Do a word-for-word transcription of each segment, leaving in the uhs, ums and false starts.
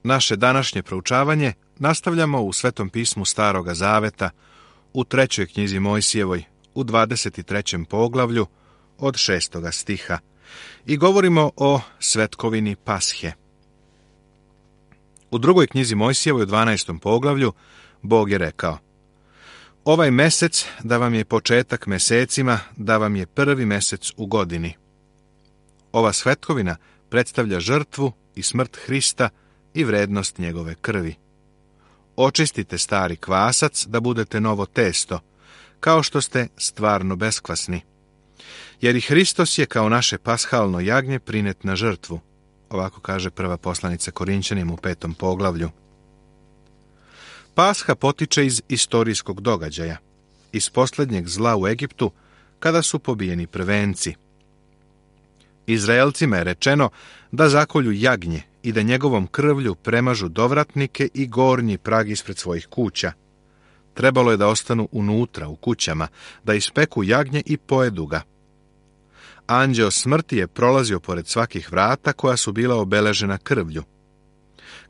Naše današnje proučavanje nastavljamo u Svetom pismu Staroga Zaveta, u trećoj knjizi Mojsijevoj, u dvadeset trećem poglavlju, od šestoga stiha, i govorimo o svetkovini Pashe. U drugoj knjizi Mojsijevoj, u dvanaestom poglavlju, Bog je rekao: Ovaj mesec da vam je početak mesecima, da vam je prvi mesec u godini. Ova svetkovina predstavlja žrtvu i smrt Hrista i vrednost njegove krvi. Očistite stari kvasac da budete novo testo, kao što ste stvarno beskvasni. Jer i Hristos je kao naše pashalno jagnje prinet na žrtvu. Ovako kaže prva poslanica Korinćanima u petom poglavlju. Pasha potiče iz istorijskog događaja, iz posljednjeg zla u Egiptu, kada su pobijeni prvenci. Izraelcima je rečeno da zakolju jagnje i da njegovom krvlju premažu dovratnike i gornji prag ispred svojih kuća. Trebalo je da ostanu unutra, u kućama, da ispeku jagnje i pojedu ga. Anđeo smrti je prolazio pored svakih vrata koja su bila obeležena krvlju.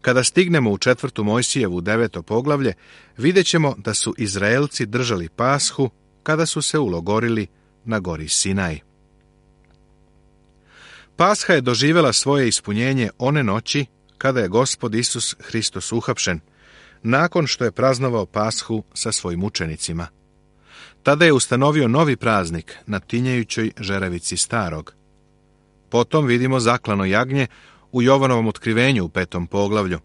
Kada stignemo u četvrtu Mojsijevu deveto poglavlje, vidjet ćemo da su Izraelci držali Pashu kada su se ulogorili na gori Sinaj. Pasha je doživjela svoje ispunjenje one noći kada je Gospod Isus Hristos uhapšen, nakon što je praznovao Pashu sa svojim učenicima. Tada je ustanovio novi praznik na tinjajućoj žeravici starog. Potom vidimo zaklano jagnje u Jovanovom otkrivenju u petom poglavlju.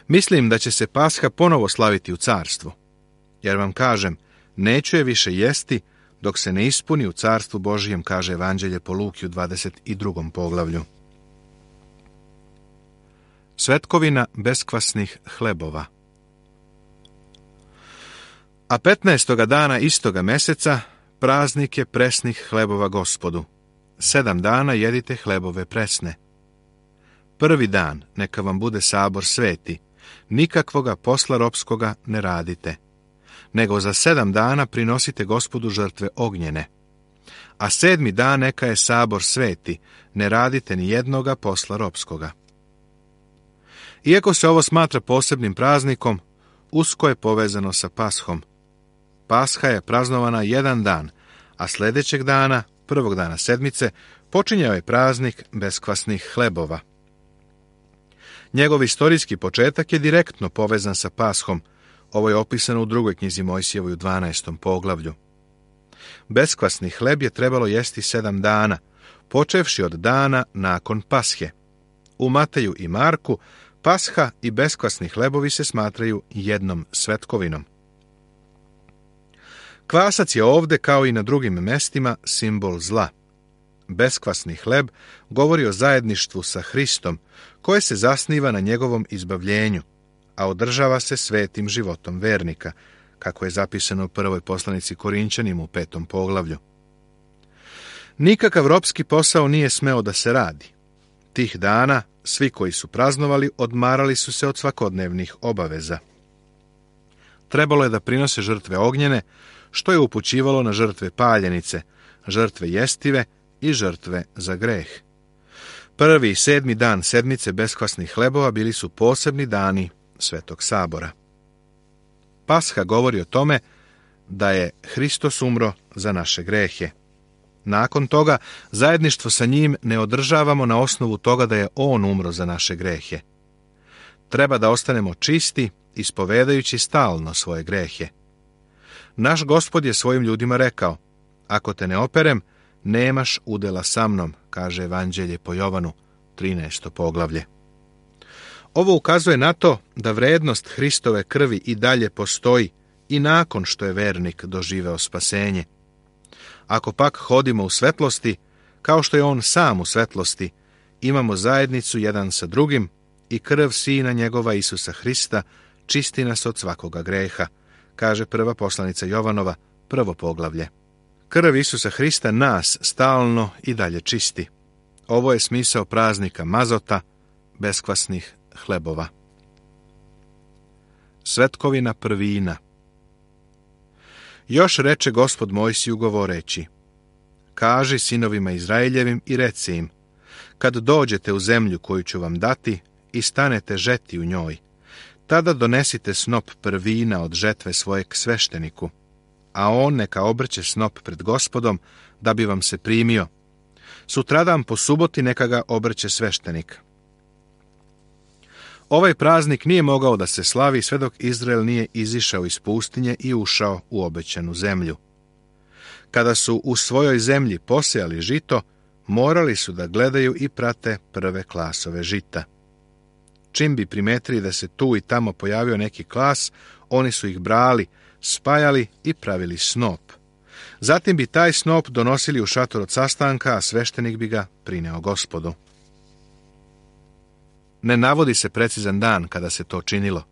Mislim da će se Pasha ponovo slaviti u carstvu. Jer vam kažem, neću je više jesti dok se ne ispuni u carstvu Božijem, kaže Evanđelje po Luki u dvadeset drugom poglavlju. Svetkovina beskvasnih hlebova. A petnaestoga dana istoga meseca praznik je presnih hlebova Gospodu. Sedam dana jedite hlebove presne. Prvi dan neka vam bude sabor sveti, nikakvoga posla ropskoga ne radite, nego za sedam dana prinosite Gospodu žrtve ognjene. A sedmi dan neka je sabor sveti, ne radite ni jednoga posla ropskoga. Iako se ovo smatra posebnim praznikom, usko je povezano sa Pashom. Pasha je praznovana jedan dan, a sljedećeg dana, prvog dana sedmice, počinjao je praznik beskvasnih hlebova. Njegov istorijski početak je direktno povezan sa Pashom. Ovo je opisano u drugoj knjizi Mojsijevoj u dvanaestom poglavlju. Beskvasni hleb je trebalo jesti sedam dana, počevši od dana nakon Pashe. U Mateju i Marku Pasha i beskvasni hlebovi se smatraju jednom svetkovinom. Kvasac je ovde, kao i na drugim mestima, simbol zla. Beskvasni hleb govori o zajedništvu sa Hristom, koje se zasniva na njegovom izbavljenju, a održava se svetim životom vernika, kako je zapisano u prvoj poslanici Korinćanima u petom poglavlju. Nikakav ropski posao nije smeo da se radi. Tih dana svi koji su praznovali odmarali su se od svakodnevnih obaveza. Trebalo je da prinose žrtve ognjene, što je upućivalo na žrtve paljenice, žrtve jestive i žrtve za greh. Prvi i sedmi dan sedmice beskvasnih hlebova bili su posebni dani Svetog sabora. Pasha govori o tome da je Hristos umro za naše grehe. Nakon toga, zajedništvo sa njim ne održavamo na osnovu toga da je on umro za naše grehe. Treba da ostanemo čisti, ispovedajući stalno svoje grehe. Naš Gospod je svojim ljudima rekao: ako te ne operem, nemaš udela sa mnom, kaže Evanđelje po Jovanu, trinaesto poglavlje. Ovo ukazuje na to da vrednost Hristove krvi i dalje postoji i nakon što je vernik doživeo spasenje. Ako pak hodimo u svetlosti, kao što je on sam u svetlosti, imamo zajednicu jedan sa drugim i krv Sina njegova Isusa Hrista čisti nas od svakoga greha, kaže prva poslanica Jovanova, prvo poglavlje. Krv Isusa Hrista nas stalno i dalje čisti. Ovo je smisao praznika mazota, beskvasnih hlebova. Svetkovina prvina. Još reče Gospod Mojsiju govoreći: kaži sinovima Izraeljevim i reci im: kad dođete u zemlju koju ću vam dati i stanete žeti u njoj, tada donesite snop prvina od žetve svojeg svešteniku, a on neka obrće snop pred Gospodom, da bi vam se primio. Sutradan po suboti neka ga obrće sveštenik. Ovaj praznik nije mogao da se slavi sve dok Izrael nije izišao iz pustinje i ušao u obećanu zemlju. Kada su u svojoj zemlji posejali žito, morali su da gledaju i prate prve klasove žita. Čim bi primetili da se tu i tamo pojavio neki klas, oni su ih brali, spajali i pravili snop. Zatim bi taj snop donosili u šator od sastanka, a sveštenik bi ga prineo Gospodu. Ne navodi se precizan dan kada se to činilo.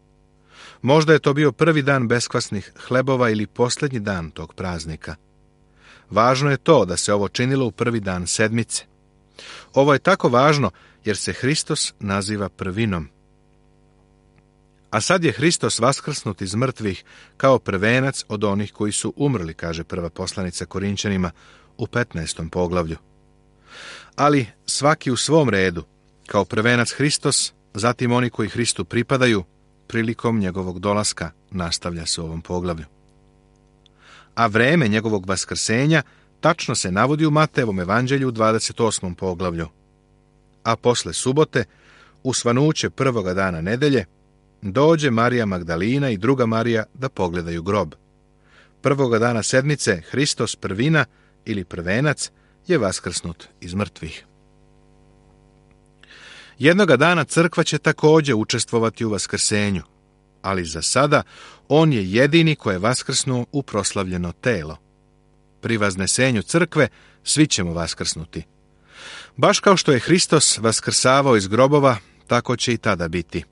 Možda je to bio prvi dan beskvasnih hlebova ili posljednji dan tog praznika. Važno je to da se ovo činilo u prvi dan sedmice. Ovo je tako važno jer se Hristos naziva prvinom. A sad je Hristos vaskrsnut iz mrtvih kao prvenac od onih koji su umrli, kaže prva poslanica Korinćanima u petnaestom poglavlju. Ali svaki u svom redu, kao prvenac Hristos, zatim oni koji Hristu pripadaju, prilikom njegovog dolaska, nastavlja se u ovom poglavlju. A vreme njegovog vaskrsenja tačno se navodi u Matejevom evanđelju u dvadeset osmom poglavlju. A posle subote, u svanuće prvoga dana nedelje, dođe Marija Magdalina i druga Marija da pogledaju grob. Prvoga dana sedmice Hristos prvina ili prvenac je vaskrsnut iz mrtvih. Jednoga dana crkva će također učestvovati u vaskrsenju, ali za sada on je jedini koji je vaskrsnuo u proslavljeno telo. Pri vaznesenju crkve svi ćemo vaskrsnuti. Baš kao što je Hristos vaskrsavao iz grobova, tako će i tada biti.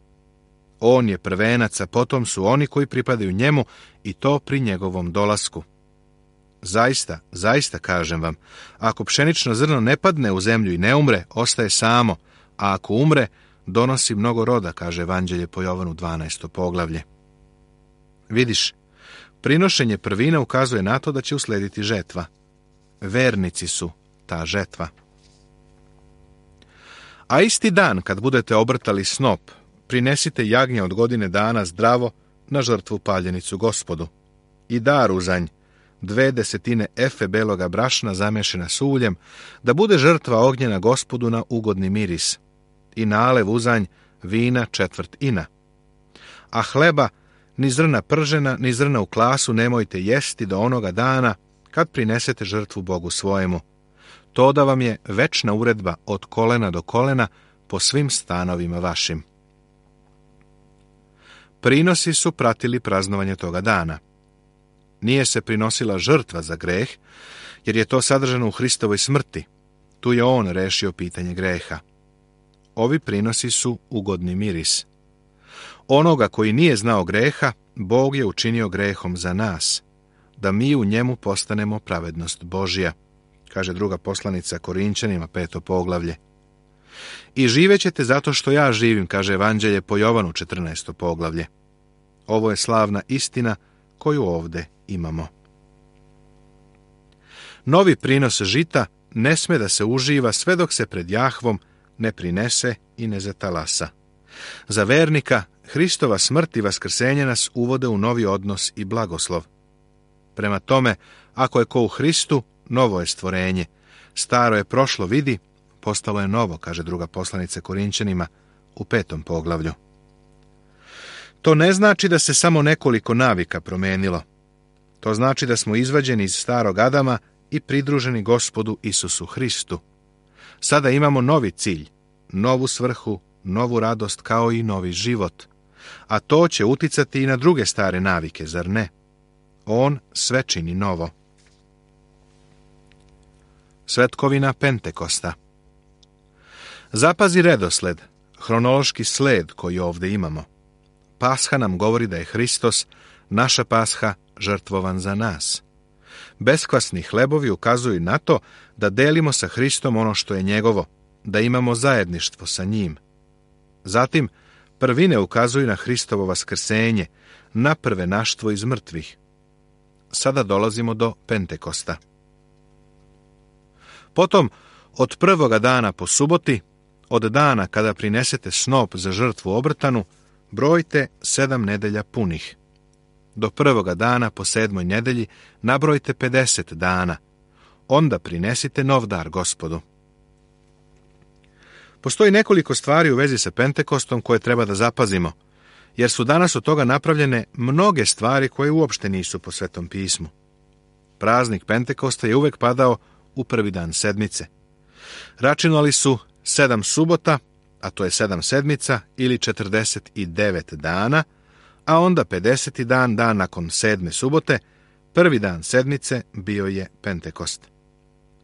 On je prvenac, a potom su oni koji pripadaju njemu i to pri njegovom dolasku. Zaista, zaista kažem vam, ako pšenično zrno ne padne u zemlju i ne umre, ostaje samo, a ako umre, donosi mnogo roda, kaže Evanđelje po Jovanu dvanaesto poglavlje. Vidiš, prinošenje prvina ukazuje na to da će uslediti žetva. Vernici su ta žetva. A isti dan, kad budete obrtali snop, prinesite jagnje od godine dana zdravo na žrtvu paljenicu Gospodu. I dar uzanj, dve desetine efe beloga brašna zamešena s uljem, da bude žrtva ognjena Gospodu na ugodni miris. I nalev uzanj vina četvrt ina. A hleba, ni zrna pržena, ni zrna u klasu nemojte jesti do onoga dana kad prinesete žrtvu Bogu svojemu. To da vam je večna uredba od kolena do kolena po svim stanovima vašim. Prinosi su pratili praznovanje toga dana. Nije se prinosila žrtva za greh, jer je to sadržano u Hristovoj smrti. Tu je on rešio pitanje greha. Ovi prinosi su ugodni miris. Onoga koji nije znao greha, Bog je učinio grehom za nas, da mi u njemu postanemo pravednost Božja, kaže druga poslanica Korinćanima, peto poglavlje. I živećete zato što ja živim, kaže Evanđelje po Jovanu, četrnaesto poglavlje. Ovo je slavna istina koju ovde imamo. Novi prinos žita ne sme da se uživa sve dok se pred Jahvom ne prinese i ne zatalasa. Za vernika, Hristova smrt i vaskrsenje nas uvode u novi odnos i blagoslov. Prema tome, ako je ko u Hristu, novo je stvorenje. Staro je prošlo, vidi, postalo je novo, kaže druga poslanica Korinćanima u petom poglavlju. To ne znači da se samo nekoliko navika promenilo. To znači da smo izvađeni iz starog Adama i pridruženi Gospodu Isusu Hristu. Sada imamo novi cilj, novu svrhu, novu radost kao i novi život. A to će uticati i na druge stare navike, zar ne? On sve čini novo. Svetkovina Pentekosta. Zapazi redosled, hronološki sled koji ovdje imamo. Pasha nam govori da je Hristos, naša pasha, žrtvovan za nas. Beskvasni hlebovi ukazuju na to da delimo sa Hristom ono što je njegovo, da imamo zajedništvo sa njim. Zatim, prvine ukazuju na Hristovo vaskrsenje, na prvenaštvo iz mrtvih. Sada dolazimo do Pentekosta. Potom, od prvoga dana po suboti, od dana kada prinesete snop za žrtvu obrtanu, brojte sedam nedelja punih. Do prvoga dana po sedmoj nedelji nabrojte pedeset dana. Onda prinesite nov dar Gospodu. Postoji nekoliko stvari u vezi sa Pentekostom koje treba da zapazimo, jer su danas od toga napravljene mnoge stvari koje uopšte nisu po Svetom pismu. Praznik Pentekosta je uvek padao u prvi dan sedmice. Računali su sedam subota, a to je sedam sedmica ili četrdeset devet dana, a onda pedeseti dan, dan nakon sedme subote, prvi dan sedmice bio je Pentekost.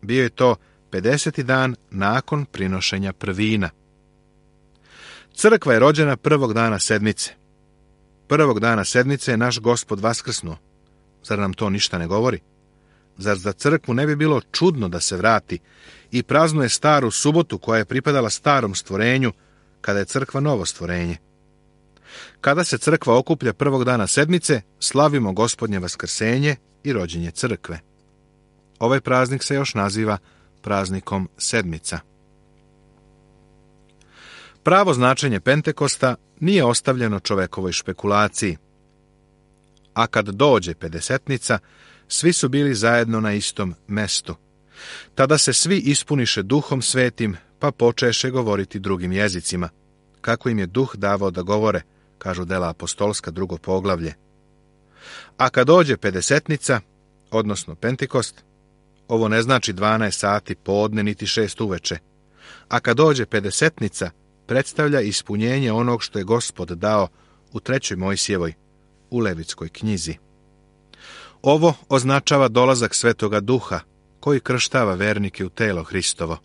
Bio je to pedeseti dan nakon prinošenja prvina. Crkva je rođena prvog dana sedmice. Prvog dana sedmice je naš Gospod vaskrsnuo. Zar nam to ništa ne govori? Zar za crkvu ne bi bilo čudno da se vrati i praznuje staru subotu koja je pripadala starom stvorenju, kada je crkva novo stvorenje? Kada se crkva okuplja prvog dana sedmice, slavimo Gospodnje vaskrsenje i rođenje crkve. Ovaj praznik se još naziva praznikom sedmica. Pravo značenje Pentekosta nije ostavljeno čovekovoj špekulaciji. A kad dođe pedesetnica, svi su bili zajedno na istom mestu. Tada se svi ispuniše Duhom Svetim, pa počeše govoriti drugim jezicima, kako im je Duh davao da govore, kažu dela apostolska drugo poglavlje. A kad dođe pedesetnica, odnosno Pentekost, ovo ne znači dvanaest sati podne niti šest uveče, a kad dođe pedesetnica, predstavlja ispunjenje onog što je Gospod dao u trećoj Mojsijevoj, u Levitskoj knjizi. Ovo označava dolazak Svetoga Duha, koji krštava vernike u telo Hristovo,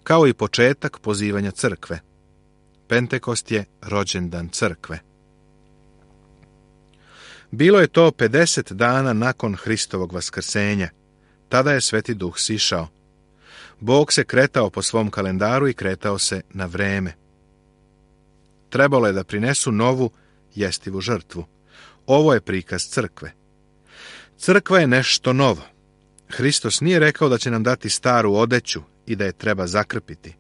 kao i početak pozivanja crkve. Pentekost je rođendan crkve. Bilo je to pedeset dana nakon Hristovog vaskrsenja. Tada je Sveti Duh sišao. Bog se kretao po svom kalendaru i kretao se na vreme. Trebalo je da prinesu novu jestivu žrtvu. Ovo je prikaz crkve. Crkva je nešto novo. Hristos nije rekao da će nam dati staru odeću i da je treba zakrpiti.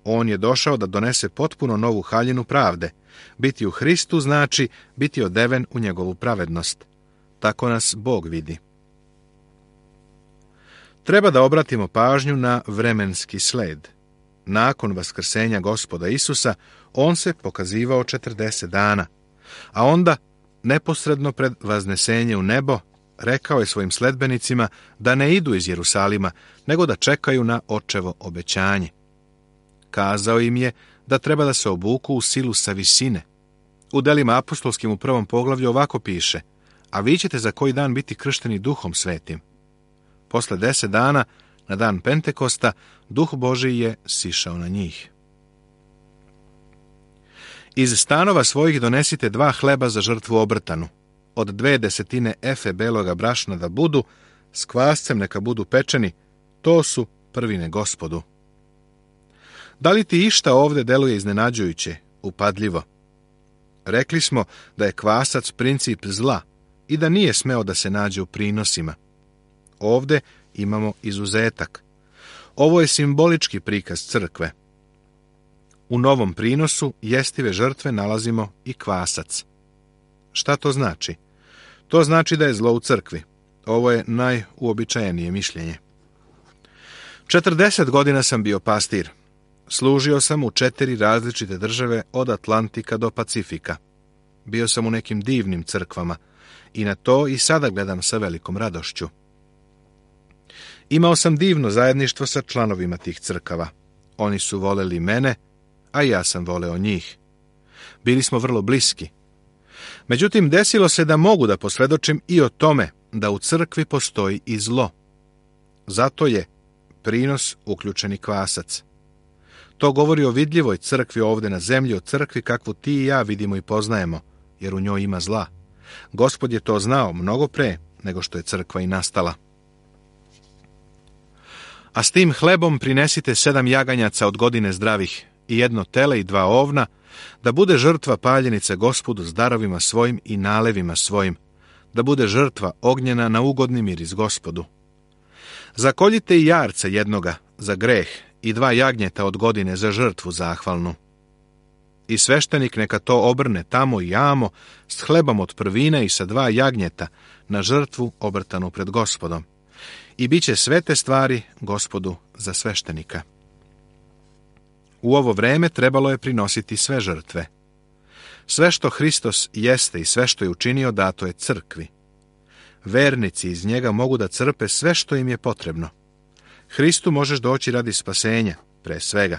On je došao da donese potpuno novu haljinu pravde. Biti u Hristu znači biti odeven u njegovu pravednost. Tako nas Bog vidi. Treba da obratimo pažnju na vremenski sled. Nakon vaskrsenja Gospoda Isusa, on se pokazivao četrdeset dana, a onda, neposredno pred vaznesenje u nebo, rekao je svojim sledbenicima da ne idu iz Jerusalima, nego da čekaju na očevo obećanje. Kazao im je da treba da se obuku u silu sa visine. U delima apostolskim u prvom poglavlju ovako piše: a vi ćete za koji dan biti kršteni Duhom Svetim. Posle deset dana, na dan Pentekosta, Duh Božiji je sišao na njih. Iz stanova svojih donesite dva hleba za žrtvu obrtanu. Od dve desetine efe beloga brašna da budu, s kvascem neka budu pečeni, to su prvine Gospodu. Da li ti išta ovde deluje iznenađujuće, upadljivo? Rekli smo da je kvasac princip zla i da nije smeo da se nađe u prinosima. Ovde imamo izuzetak. Ovo je simbolički prikaz crkve. U novom prinosu jestive žrtve nalazimo i kvasac. Šta to znači? To znači da je zlo u crkvi. Ovo je najuobičajenije mišljenje. četrdeset godina sam bio pastir. Služio sam u četiri različite države od Atlantika do Pacifika. Bio sam u nekim divnim crkvama i na to i sada gledam sa velikom radošću. Imao sam divno zajedništvo sa članovima tih crkava. Oni su voleli mene, a ja sam voleo njih. Bili smo vrlo bliski. Međutim, desilo se da mogu da posvjedočim i o tome da u crkvi postoji i zlo. Zato je prinos uključeni kvasac. To govori o vidljivoj crkvi ovde na zemlji, o crkvi kakvu ti i ja vidimo i poznajemo, jer u njoj ima zla. Gospod je to znao mnogo pre nego što je crkva i nastala. A s tim hlebom prinesite sedam jaganjaca od godine zdravih i jedno tele i dva ovna, da bude žrtva paljenice Gospodu s darovima svojim i nalevima svojim, da bude žrtva ognjena na ugodni miris Gospodu. Zakoljite i jarca jednoga za greh i dva jagnjeta od godine za žrtvu zahvalnu. I sveštenik neka to obrne tamo i amo s hlebom od prvine i sa dva jagnjeta na žrtvu obrtanu pred Gospodom. I bit će sve te stvari Gospodu za sveštenika. U ovo vreme trebalo je prinositi sve žrtve. Sve što Hristos jeste i sve što je učinio dato je crkvi. Vernici iz njega mogu da crpe sve što im je potrebno. Hristu možeš doći radi spasenja, pre svega.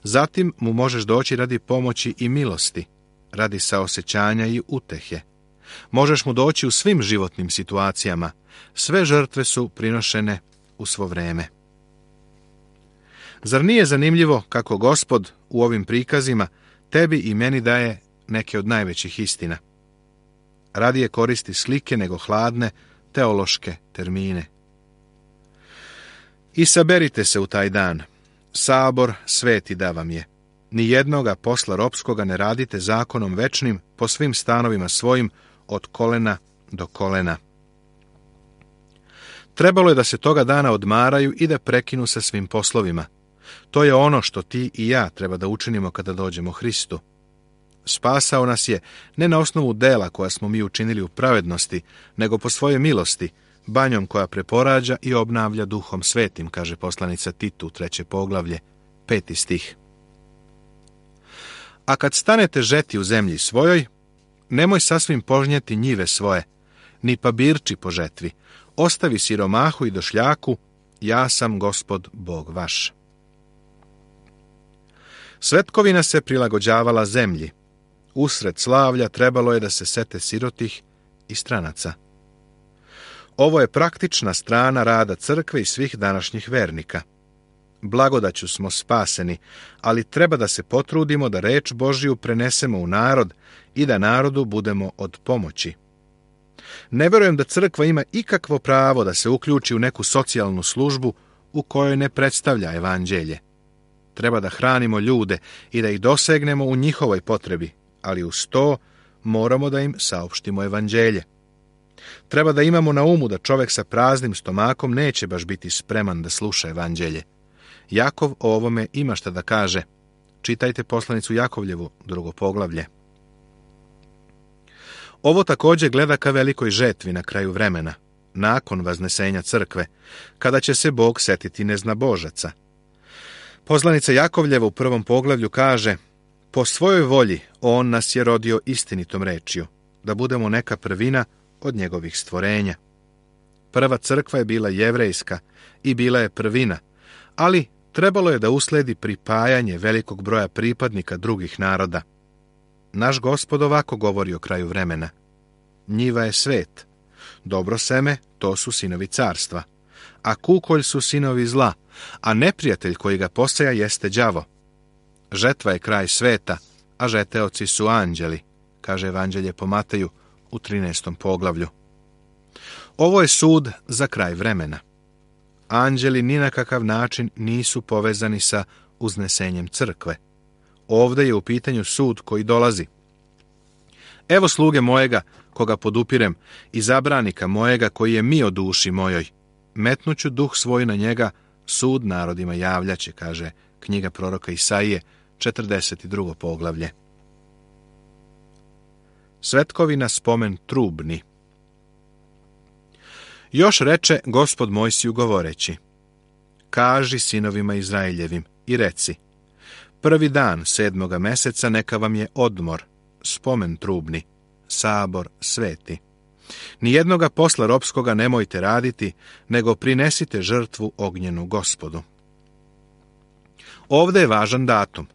Zatim mu možeš doći radi pomoći i milosti, radi saosećanja i utehe. Možeš mu doći u svim životnim situacijama. Sve žrtve su prinošene u svo vreme. Zar nije zanimljivo kako Gospod u ovim prikazima tebi i meni daje neke od najvećih istina? Radije koristi slike nego hladne teološke termine. I saberite se u taj dan. Sabor sveti da vam je. Nijednoga posla ropskoga ne radite zakonom večnim po svim stanovima svojim od kolena do kolena. Trebalo je da se toga dana odmaraju i da prekinu sa svim poslovima. To je ono što ti i ja treba da učinimo kada dođemo Hristu. Spasao nas je ne na osnovu dela koja smo mi učinili u pravednosti, nego po svojoj milosti, banjom koja preporađa i obnavlja Duhom Svetim, kaže poslanica Titu, treće poglavlje, peti stih. A kad stanete žeti u zemlji svojoj, nemoj sasvim požnjeti njive svoje, ni pabirči po žetvi, ostavi siromahu i došljaku, ja sam Gospod Bog vaš. Svetkovina se prilagođavala zemlji. Usred slavlja trebalo je da se sete sirotih i stranaca. Ovo je praktična strana rada crkve i svih današnjih vernika. Blagodaću smo spaseni, ali treba da se potrudimo da reč Božiju prenesemo u narod i da narodu budemo od pomoći. Ne verujem da crkva ima ikakvo pravo da se uključi u neku socijalnu službu u kojoj ne predstavlja evanđelje. Treba da hranimo ljude i da ih dosegnemo u njihovoj potrebi, ali uz to moramo da im saopštimo evanđelje. Treba da imamo na umu da čovjek sa praznim stomakom neće baš biti spreman da sluša evanđelje. Jakov o ovome ima šta da kaže. Čitajte poslanicu Jakovljevu, drugo poglavlje. Ovo također gleda ka velikoj žetvi na kraju vremena, nakon vaznesenja crkve, kada će se Bog setiti neznabožaca. Poslanica Jakovljeva u prvom poglavlju kaže: po svojoj volji on nas je rodio istinitom rečju, da budemo neka prvina od njegovih stvorenja. Prva crkva je bila jevrejska i bila je prvina, ali trebalo je da usledi pripajanje velikog broja pripadnika drugih naroda. Naš Gospod ovako govori o kraju vremena. Njiva je svet. Dobro seme, to su sinovi carstva. A kukolj su sinovi zla, a neprijatelj koji ga poseja jeste đavo. Žetva je kraj sveta, a žeteoci su anđeli, kaže Evanđelje po Mateju u trinaestom poglavlju. Ovo je sud za kraj vremena. Anđeli ni na kakav način nisu povezani sa uznesenjem crkve. Ovdje je u pitanju sud koji dolazi. Evo sluge mojega, koga podupirem, i zabranika mojega koji je mi o duši mojoj. Metnuću duh svoj na njega, sud narodima javljaće, kaže knjiga proroka Isaije, četrdeset drugo poglavlje. Svetkovina spomen trubni. Još reče Gospod Mojsiju govoreći: kaži sinovima Izraeljevim i reci: prvi dan sedmoga meseca neka vam je odmor, spomen trubni, sabor sveti. Nijednoga posla ropskoga nemojte raditi, nego prinesite žrtvu ognjenu Gospodu. Ovdje je važan datum.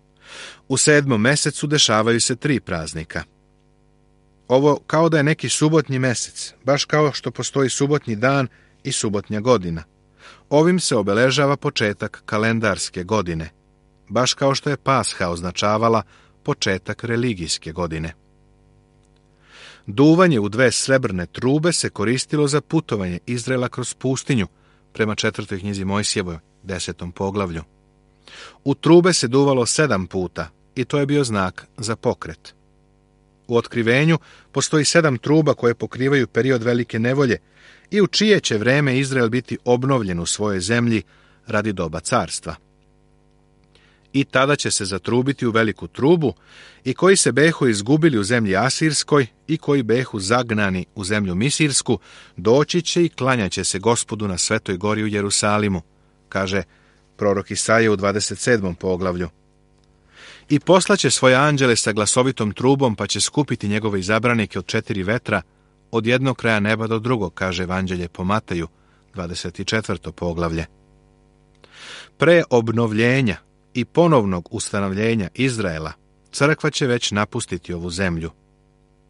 U sedmom mesecu dešavaju se tri praznika. Ovo kao da je neki subotnji mesec, baš kao što postoji subotnji dan i subotnja godina. Ovim se obeležava početak kalendarske godine, baš kao što je Pasha označavala početak religijske godine. Duvanje u dve srebrne trube se koristilo za putovanje Izraela kroz pustinju, prema četvrtoj knjizi Mojsijevoj, desetom poglavlju. U trube se duvalo sedam puta i to je bio znak za pokret. U Otkrivenju postoji sedam truba koje pokrivaju period velike nevolje i u čije će vreme Izrael biti obnovljen u svojoj zemlji radi doba carstva. I tada će se zatrubiti u veliku trubu, i koji se behu izgubili u zemlji Asirskoj i koji behu zagnani u zemlju Misirsku, doći će i klanjaće se Gospodu na Svetoj gori u Jerusalimu, kaže prorok Isaija u dvadeset sedmom poglavlju. I poslaće svoje anđele sa glasovitom trubom, pa će skupiti njegove izabranike od četiri vetra, od jednog kraja neba do drugog, kaže Evanđelje po Mateju, dvadeset četvrto poglavlje. Pre obnovljenja i ponovnog ustanovljenja Izraela, crkva će već napustiti ovu zemlju.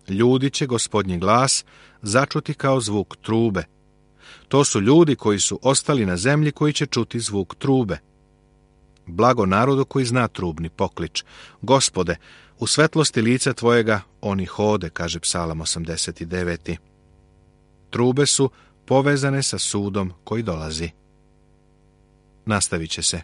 Ljudi će Gospodnji glas začuti kao zvuk trube. To su ljudi koji su ostali na zemlji koji će čuti zvuk trube. Blago narodu koji zna trubni poklič. Gospode, u svetlosti lica tvojega oni hode, kaže Psalam osamdeset devet. Trube su povezane sa sudom koji dolazi. Nastavit će se.